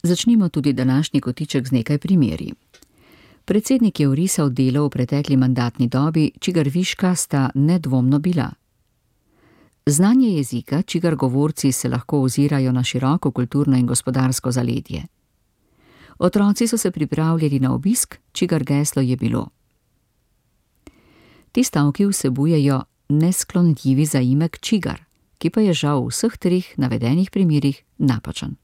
Začnimo tudi današnji kotiček z nekaj primeri. Predsednik je orisal delo v pretekli mandatni dobi, čigar viška sta nedvomno bila. Znanje jezika, čigar govorci se lahko ozirajo na široko kulturno in gospodarsko zaledje. Otroci so se pripravljali na obisk, čigar geslo je bilo. Ti vsebujejo nesklonljivi zaimek čigar, ki pa je žal v vseh treh navedenih primerih napačen.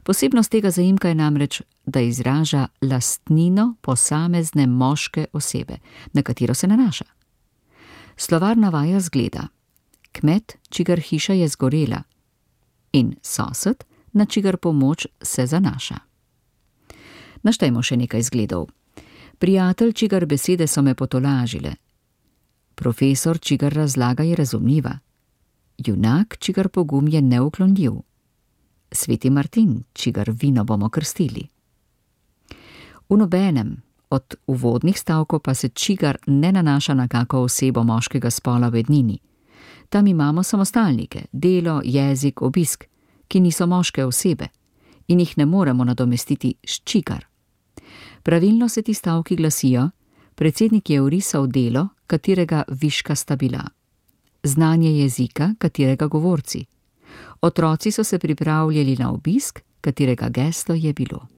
Posebnost tega zaimka je namreč, da izraža lastnino posamezne moške osebe, na katero se nanaša. Slovar navaja zgleda: kmet, čigar hiša je zgorela, in sosed, na čigar pomoč se zanaša. Naštejmo še nekaj zgledov. Prijatelj, čigar besede so me potolažile. Profesor, čigar razlaga je razumljiva. Junak, čigar pogum je neuklonljiv. Sveti Martin, čigar vino bomo krstili. V nobenem od uvodnih stavkov pa se čigar ne nanaša na kako osebo moškega spola v ednini. Tam imamo samostalnike, delo, jezik, obisk, ki niso moške osebe in jih ne moremo nadomestiti s čigar. Pravilno se ti stavki glasijo: predsednik je orisal delo, katerega viška sta bila. Znanje jezika, katerega govorci. Otroci so se pripravljali na obisk, katerega geslo je bilo.